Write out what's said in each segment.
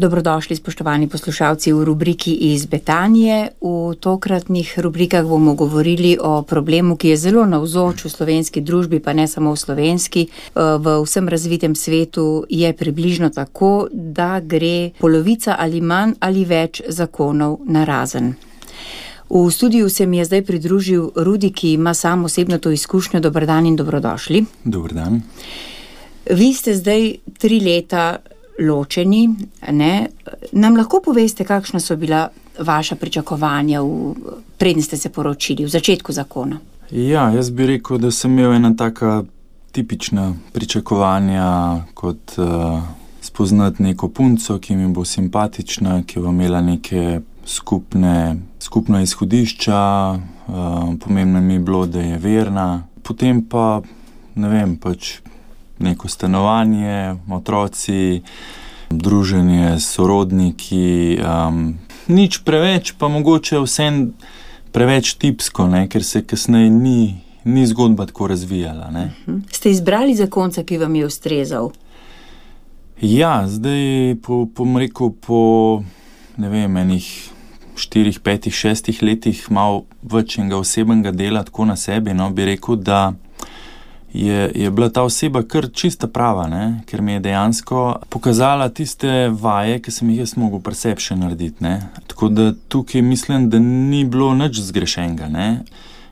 Dobrodošli, spoštovani poslušalci, v rubriki Iz Betanije. V tokratnih rubrikah bomo govorili o problemu, ki je zelo navzoč v slovenski družbi, pa ne samo v slovenski. V vsem razvitem svetu je približno tako, da gre polovica ali manj ali več zakonov narazen. V studiu se mi je zdaj pridružil Rudi, ki ima sam osebno to izkušnjo. Dober dan in dobrodošli. Dober dan. Vi ste zdaj 3 leta ločeni, ne? Nam lahko poveste, kakšna so bila vaša pričakovanja, preden ste se poročili, v začetku zakona? Ja, jaz bi rekel, da sem imel ena taka tipična pričakovanja, kot spoznati neko punco, ki mi bo simpatična, ki bo imela neke skupna izhodišča, pomembno mi je bilo, da je verna. Potem pa, ne vem, neko stanovanje, otroci, druženje s sorodniki, nič preveč, pa mogoče vsem preveč tipsko, ne, ker se kasneje ni zgodba tako razvijala. Ne. Ste izbrali zakonca, ki vam je ustrezal? Ja, zdaj po ne vem, enih 4, 5, 6 letih malo več enega osebnega dela tako na sebi, no, bi rekel, da je bila ta oseba kar čista prava, ne? Ker mi je dejansko pokazala tiste vaje, ki sem jih jaz mogel pri sebi še narediti. Ne? Tako da tukaj mislim, da ni bilo nič zgrešenega. Ne?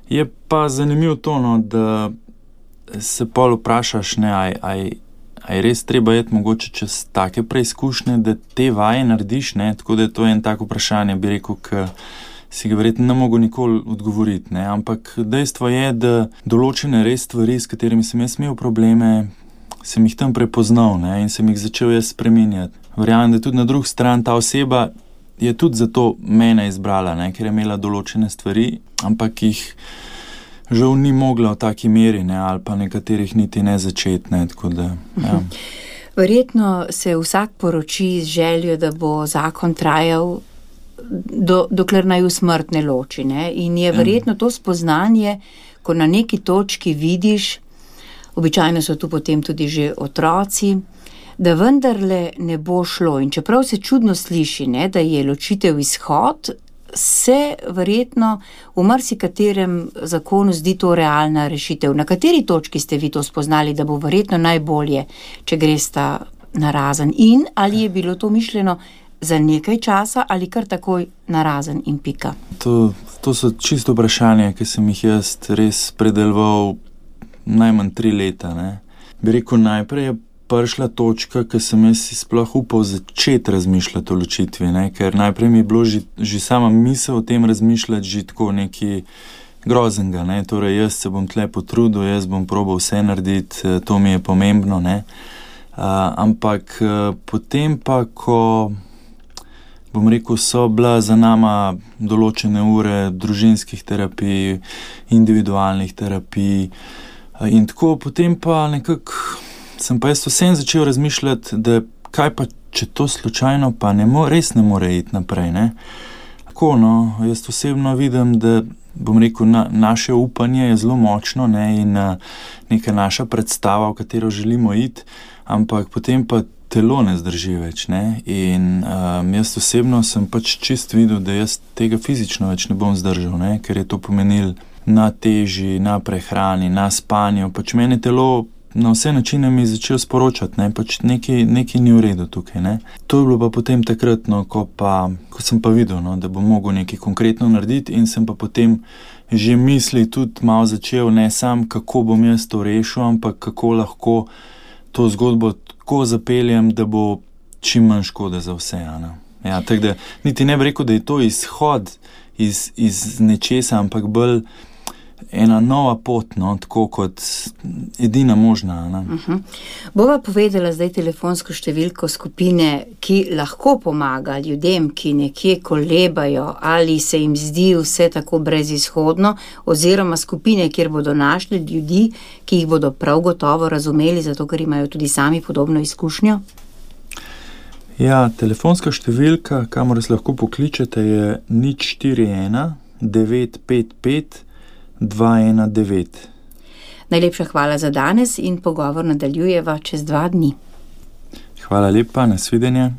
Je pa zanimivo to, no, da se pol vprašaš, aj res treba iti mogoče čez take preizkušnje, da te vaje narediš, ne? Tako da je to en tak vprašanje, bi rekel, ki si ga verjetno ne mogo nikoli odgovoriti, ne? Ampak dejstvo je, da določene res stvari, s katerimi sem jaz imel probleme, sem jih tam prepoznal, ne? In sem jih začel jaz spreminjati. Verjamem, da tudi na drugi strani ta oseba je tudi zato mene izbrala, ne? Ker je imela določene stvari, ampak jih žal ni mogla v taki meri, ne? Ali pa nekaterih niti ne začeti, ne? Tako da, ja. Verjetno se vsak poroči z željo, da bo zakon trajal dokler naju smrt ne loči, ne? In je verjetno to spoznanje, ko na neki točki vidiš, običajno so tu potem tudi že otroci, da vendarle ne bo šlo. In čeprav se čudno sliši, ne, da je ločitev izhod, se verjetno v marsikaterem zakonu zdi to realna rešitev. Na kateri točki ste vi to spoznali, da bo verjetno najbolje, če gresta narazen? In ali je bilo to mišljeno za nekaj časa ali kar takoj narazen in pika? To so čisto vprašanja, ki sem jih jaz res predeloval najmanj 3 leta. Ne. Bi rekel, najprej je prišla točka, ki sem jaz sploh upal začeti razmišljati o ločitvi, ne. Ker najprej mi je bilo že sama misel o tem razmišljati že tako nekaj groznega, ne. Torej, jaz se bom tle potrudil, jaz bom probal vse narediti, to mi je pomembno, ne. Ampak potem pa, ko bom rekel, so bila za nama določene ure družinskih terapij, individualnih terapij in tako, potem pa nekako sem pa jaz vsem začel razmišljati, da kaj pa, če to slučajno pa res ne more iti naprej, ne. Tako, no, jaz osebno vidim, da bom rekel, naše upanje je zelo močno, ne, in neka naša predstava, v katero želimo iti, ampak potem pa telo ne zdrži več, ne, in jaz osebno sem čist videl, da jaz tega fizično več ne bom zdržal, ne, ker je to pomenil na teži, na prehrani, na spanju, meni telo na vse načine mi začel sporočati, ne, nekaj ni v redu tukaj, ne. To je bilo pa potem takrat, no, ko sem pa videl, no, da bom mogel nekaj konkretno narediti in sem pa potem že misli tudi malo začel, ne sam, kako bom jaz to rešil, ampak kako lahko to zgodbo tako zapeljem, da bo čim manj škode za vse. Ja, tako da niti ne bi rekel, da je to izhod iz nečesa, ampak bolj ena nova pot, no, tako kot edina možna. Bova povedala zdaj telefonsko številko skupine, ki lahko pomaga ljudem, ki nekje kolebajo ali se jim zdi vse tako brezizhodno, oziroma skupine, kjer bodo našli ljudi, ki jih bodo prav gotovo razumeli, zato ker imajo tudi sami podobno izkušnjo. Ja, telefonska številka, kamor se lahko pokličete, je 041 955 219. Najlepša hvala za danes in pogovor nadaljujeva čez 2 dni. Hvala lepa, nasvidenje.